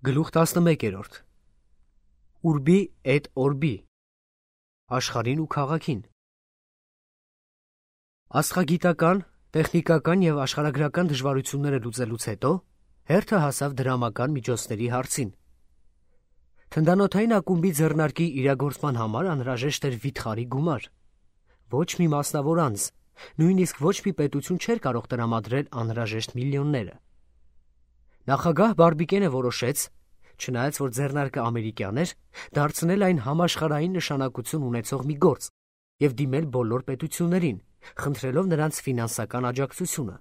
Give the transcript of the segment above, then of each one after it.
Գլուխ 11 Ուրբի էդ օրբի Աշխարհին ու քաղաքին Աստղագիտական, տեխնիկական և աշխարհագրական դժվարությունները լուծելուց հետո հերթը հասավ դրամական միջոցների հարցին։ Թնդանոթային ակումբի ձեռնարկի իրագործման համար անհրաժեշտ էր վիթխարի գումար։ Ոչ մի մասնավոր անձ, նույնիսկ ոչ մի պետություն չէր կարող տրամադրել անհրաժեշտ միլիոնները։ Նախագահ Բարբիկենը որոշեց, չնայած որ ձեռնարկը ամերիկյան էր, դարձնել այն համաշխարհային նշանակություն ունեցող մի գործ և դիմել բոլոր պետություններին, խնդրելով նրանց ֆինանսական աջակցությունը։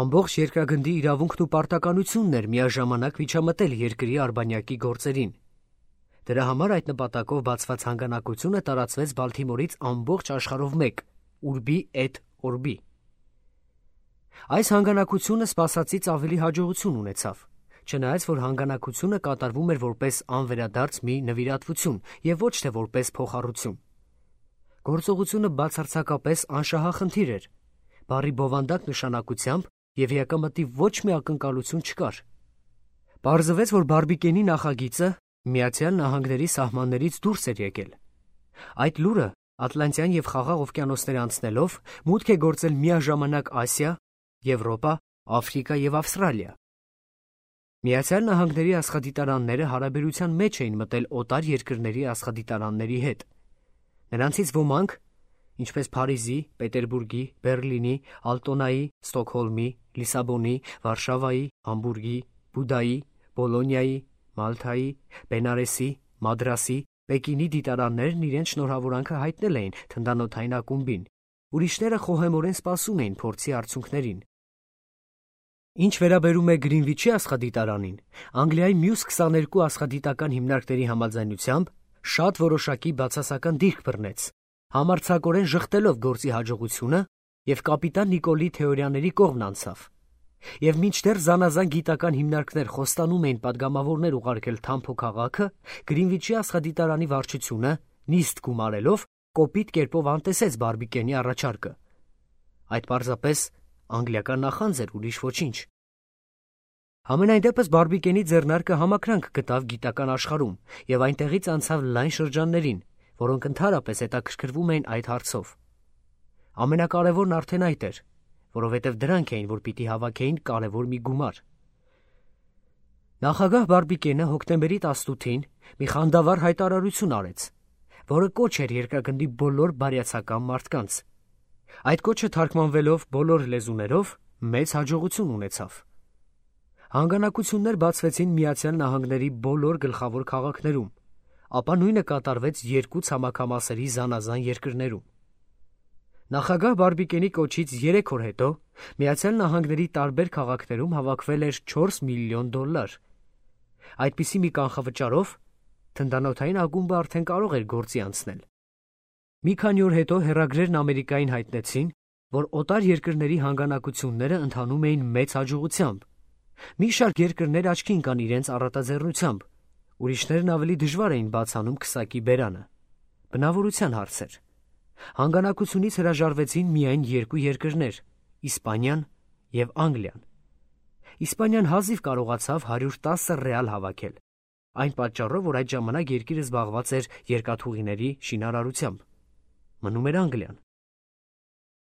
Ամբողջ երկրագնդի իրավունքն ու պարտականությունն էր միաժամանակ միջամտել երկրի արբանյակի գործերին։ Դրա համար այդ նպատակով բացված հանգանակությունը տարածվեց Բալթիմորից ամբողջ աշխարհով մեկ՝ Ուրբի էդ օրբի։ Այս հանգանակությունը սպասածից ավելի հաջողություն ունեցավ, չնայած որ հանգանակությունը կատարվում էր որպես անվերադարձ մի նվիրատվություն և ոչ թե որպես փոխառություն։ Գործողությունը բացարձակապես անշահախնդիր էր, բառի բովանդակ նշանակությամբ և եկամտի ոչ մի ակնկալություն չկար։ Պարզվեց, որ Բարբիկենի նախագիծը Միացյալ Նահանգների սահմաններից դուրս էր եկել։ Այդ լուրը Ատլանտյան և Խաղաղ օվկիանոսներ անցնելով մուտք է գործել միաժամանակ Ասիա, Եվրոպա, Աֆրիկա և Ավստրալիա։ Միացյալ Նահանգների աստղադիտարանները հարաբերության մեջ էին մտել օտար երկրների աստղադիտարանների հետ։ Նրանցից ոմանք, ինչպես Փարիզի, Պետերբուրգի, Բեռլինի, Ալտոնայի, Ստոկհոլմի, Լիսաբոնի, Վարշավայի, Համբուրգի, Բուդայի, Բոլոնիայի, Մալթայի, Բենարեսի, Մադրասի, Պեկինի դիտարաններն իրենց շնորհավորանքը հայտնել էին թնդանոթային ակումբին, ուրիշները խոհեմորեն սպասում էին փորձի արդյունքներին։ Ինչ վերաբերում է Գրինվիչի աստղադիտարանին, Անգլիայի մյուս 22 աստղադիտական հիմնարկների համաձայնությամբ շատ որոշակի բացասական դիրք բռնեց, համարձակորեն ժխտելով գործի հաջողությունը և կապիտան Նիկոլի թեորիաների կողմն անցավ։ Եվ մինչդեռ զանազան գիտական հիմնարկներ խոստանում էին պատգամավորներ ուղարկել Թամփո քաղաքը, Գրինվիչի աստղադիտարանի վարչությունը, նիստ գումարելով, կոպիտ կերպով անտեսեց Բարբիկենի առաջարկը։ Այդ պարզապես անգլիական նախանձ էր, ուրիշ ոչինչ։ Համենայն դեպս Բարբիկենի ձեռնարկը համակրանք գտավ գիտական աշխարհում և այնտեղից անցավ լայն շրջաններին, որոնք ընդհանրապես հետաքրքրվում էին այդ հարցով։ Ամենակարևորն արդեն այդ էր, որովհետև դրանք էին, որ պիտի հավաքեին կարևոր մի գումար։ Նախագահ Բարբիկենը հոկտեմբերի 18-ին մի խանդավառ հայտարարություն արեց, որը կոչ էր երկրագնդի բոլոր բարյացակամ մարդկանց։ Այդ կոչը թարգմանվելով բոլոր լեզուներով մեծ հաջողություն ունեցավ։ Հանգանակություններ բացվեցին Միացյալ Նահանգների բոլոր գլխավոր քաղաքներում, ապա նույնը կատարվեց երկու ցամաքամասերի զանազան երկրներում։ Նախագահ Բարբիկենի կոչից 3 օր հետո Միացյալ Նահանգների տարբեր քաղաքներում հավաքվել էր $4 միլիոն։ Այդպիսի մի կանխավճարով թնդանոթային ակումբը արդեն կարող էր գործի անցնել։ Մի քանի օր հետո հեռագրերն Ամերիկային հայտնեցին, որ օտար երկրների հանգանակությունները ընթանում էին մեծ հաջողությամբ։ Մի շարք երկրներ աչքի ընկան իրենց առատաձեռնությամբ, ուրիշներն ավելի դժվար էին բացանում քսակի բերանը։ Բնավորության հարց էր։ Հանգանակությունից հրաժարվեցին միայն երկու երկրներ՝ Իսպանիան և Անգլիան։ Իսպանիան հազիվ կարողացավ 110 ռեալ հավաքել, այն պատճառով, որ այդ ժամանակ երկիրը զբաղված էր երկաթուղիների շինարարությամբ։ Մնում էր Անգլիան։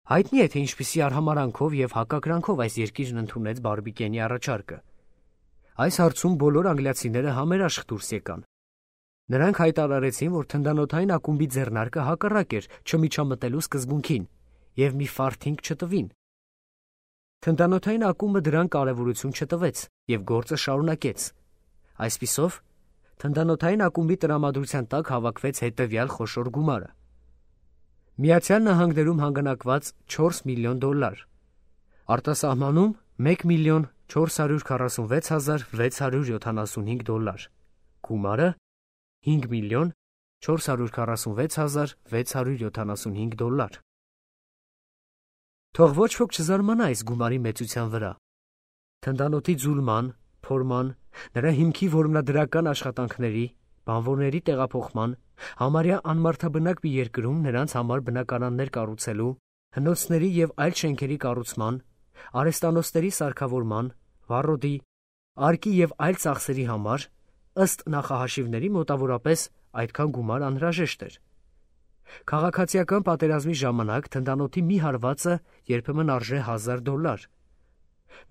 Հայտնի է, թե ինչպիսի արհամարհանքով և հակակրանքով այս երկիրն ընդունեց Բարբիկենի առաջարկը։ Այս հարցում բոլոր անգլիացիները համերաշխ դուրս եկան։ Նրանք հայտարարեցին, որ թնդանոթային ակումբի ձեռնարկը հակառակ էր չմիջամտելու սկզբունքին և մի ֆարթինգ չտվին։ Թնդանոթային ակումբը դրան կարևորություն չտվեց և գործը շարունակեց։ Այսպիսով, թնդանոթային ակումբի տրամադրության տակ հավաքվեց հետևյալ խոշոր գումարը. Միացյալ Նահանգներում հանգանակված $4 միլիոն, արտասահմանում $1,446,675, գումարը $5,446,675։ Թող ոչ ոք չզարմանա այս գումարի մեծության վրա։ Թնդանոթի ձուլման, փորման, նրա հիմքի որմնադրական աշխատանքների, բանվորների տեղափոխման, համարյա անմարդաբնակ մի երկրում նրանց համար բնակարաններ կառուցելու, հնոցների և այլ շենքերի կառուցման, արհեստանոցների սարքավորման, վառոդի, արկի և այլ ծախսերի համար, ըստ նախահաշիվների մոտավորապես այդքան գումար անհրաժեշտ էր։ Քաղաքացիական պատերազմի ժամանակ թնդանոթի մի հարվածը երբեմն արժե $1000։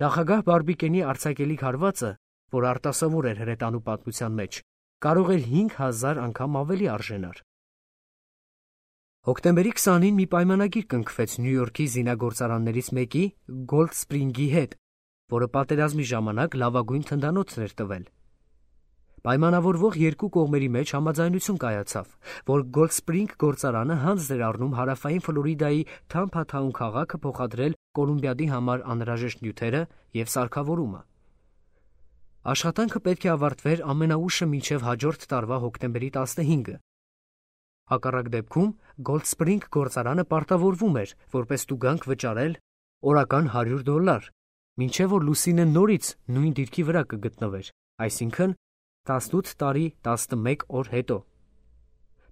Նախագահ Բարբիկենի արձակելիք հարվածը, որ արտասովոր էր հրետանու պատմության մեջ, կարող էր 5000 անգամ ավելի արժենար։ Հոկտեմբերի 20-ին մի պայմանագիր կնքվեց Նյու Յորքի զինագործարաններից մեկի Գոլդ Սպրինգի հետ, որը պատերազմի ժամանակ լավագույն թնդանոթն էր տվել։ Պայմանավորվող երկու կողմերի մեջ համաձայնություն կայացավ, որ Գոլդ Սպրինգ գործարանը հանձն էր առնում հարավային Ֆլորիդայի Թամփա-Թաուն քաղաքը փոխադրել Կոլումբիադի համար անհրաժեշտ նյութերը և սարքավորումը։ Աշխատանքը պետք է ավարտվեր ամենաուշը մինչև հաջորդ տարվա հոկտեմբերի 15-ը։ Հակառակ դեպքում Գոլդ Սպրինգ գործարանը պարտավորվում էր որպես տուգանք վճարել օրական $100, մինչև որ լուսինը նորից նույն դիրքի վրա կգտնվեր, այսինքն 18 տարի 11 օր հետո։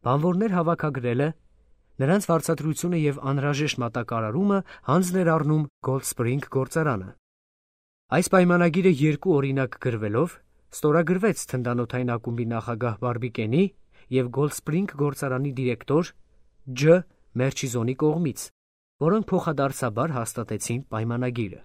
Բանվորներ հավաքագրելը, նրանց վարձատրությունը և անհրաժեշտ մատակարարումը հանձն էր առնում Գոլդ Սպրինգ գործարանը։ Այս պայմանագիրը երկու օրինակ գրվելով ստորագրվեց թնդանոթային ակումբի նախագահ Բարբիկենի և Գոլդ Սպրինգ գործարանի դիրեկտոր Ջ. Մերչիզոնի կողմից, որոնք փոխադարձաբար հաստատեցին պայմանագիրը։